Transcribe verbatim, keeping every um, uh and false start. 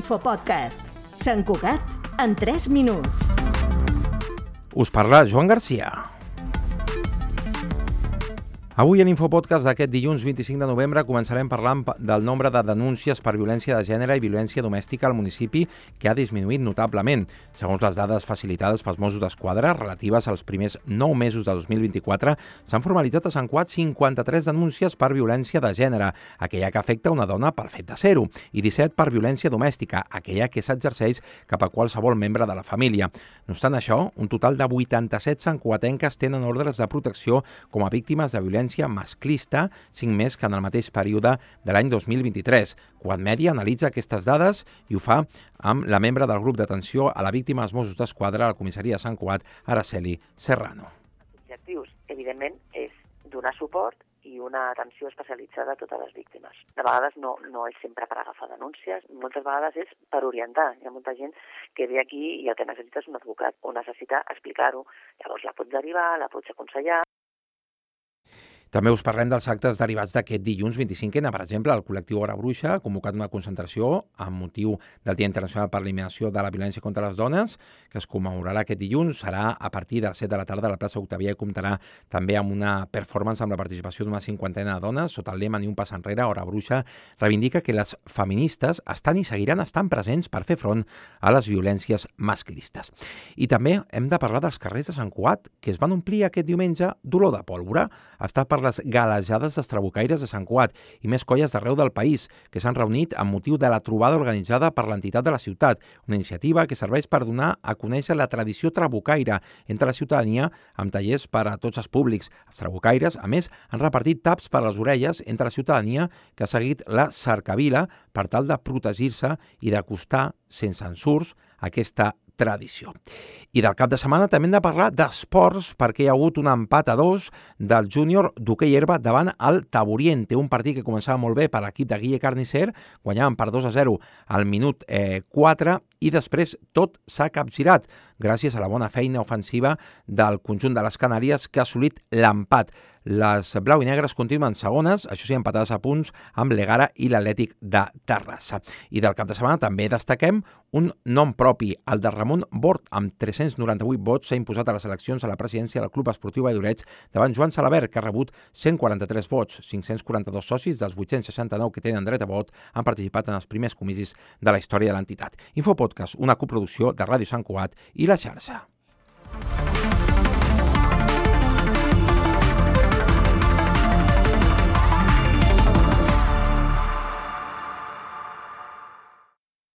Infopodcast. Sant Cugat en tres minuts. Us parla Joan Garcia. Avui en Infopodcast d'aquest dilluns vint-i-cinc de novembre començarem parlant del nombre de denúncies per violència de gènere i violència domèstica al municipi, que ha disminuït notablement. Segons les dades facilitades pels Mossos d'Esquadra relatives als primers nou mesos de dos mil vint-i-quatre, s'han formalitzat a Sant Cugat cinquanta-tres denúncies per violència de gènere, aquella que afecta una dona pel fet de ser-ho, i disset per violència domèstica, aquella que s'exerceix cap a qualsevol membre de la família. No obstant això, un total de vuitanta-set santcugatenques tenen ordres de protecció com a víctimes de violència masclista, cinc més que en el mateix període de l'any dos mil vint-i-tres. Cugat Mèdia analitza aquestes dades i ho fa amb la membre del grup d'atenció a la víctima dels Mossos d'Esquadra a la comissaria de Sant Cugat, Araceli Serrano. L'objectiu, evidentment, és donar suport i una atenció especialitzada a totes les víctimes. De vegades no, no és sempre per agafar denúncies, moltes vegades és per orientar. Hi ha molta gent que ve aquí i el que necessita és un advocat o necessita explicar-ho. Llavors la pots derivar, la pots aconsellar. També us parlem dels actes derivats d'aquest dilluns vint-i-cinc ena. Per exemple, el col·lectiu Hora Bruixa ha convocat una concentració amb motiu del Dia Internacional per l'Eliminació de la Violència contra les Dones, que es commemorarà aquest dilluns. Serà a partir de les set de la tarda a la plaça Octavià i comptarà també amb una performance amb la participació d'una cinquantena de dones. Sota el lema Ni un pas enrere, Hora Bruixa reivindica que les feministes estan i seguiran estant presents per fer front a les violències masclistes. I també hem de parlar dels carrers de Sant Cugat, que es van omplir aquest diumenge d'olor de pólvora. Ha estat per les galejades d'estrabucaires de Sant Cugat i més colles d'arreu del país que s'han reunit amb motiu de la trobada organitzada per l'entitat de la ciutat, una iniciativa que serveix per donar a conèixer la tradició trabucaire entre la ciutadania amb tallers per a tots els públics. Els trabucaires, a més, han repartit taps per a les orelles entre la ciutadania que ha seguit la cercavila per tal de protegir-se i d'acostar sense ensurts aquesta tradició. I del cap de setmana també hem de parlar d'esports perquè hi ha hagut un empat a dos del júnior d'hoquei herba davant el Taboriente, un partit que començava molt bé per l'equip de Guille Carnicer, guanyaven per dos a zero al minut eh, quatre i després tot s'ha capgirat gràcies a la bona feina ofensiva del conjunt de les Canàries que ha assolit l'empat. Les blau i negres continuen segones, això sí, empatades a punts amb l'Egara i l'Atlètic de Terrassa. I del cap de setmana també destaquem un nom propi, el de Ramon Bort, amb tres-cents noranta-vuit vots, s'ha imposat a les eleccions a la presidència del Club Esportiu Valldoreix davant Joan Salabert, que ha rebut cent quaranta-tres vots. cinc-cents quaranta-dos socis dels vuit-cents seixanta-nou que tenen dret a vot han participat en els primers comicis de la història de l'entitat. Infopodcast, una coproducció de Ràdio Sant Cugat i La Xarxa.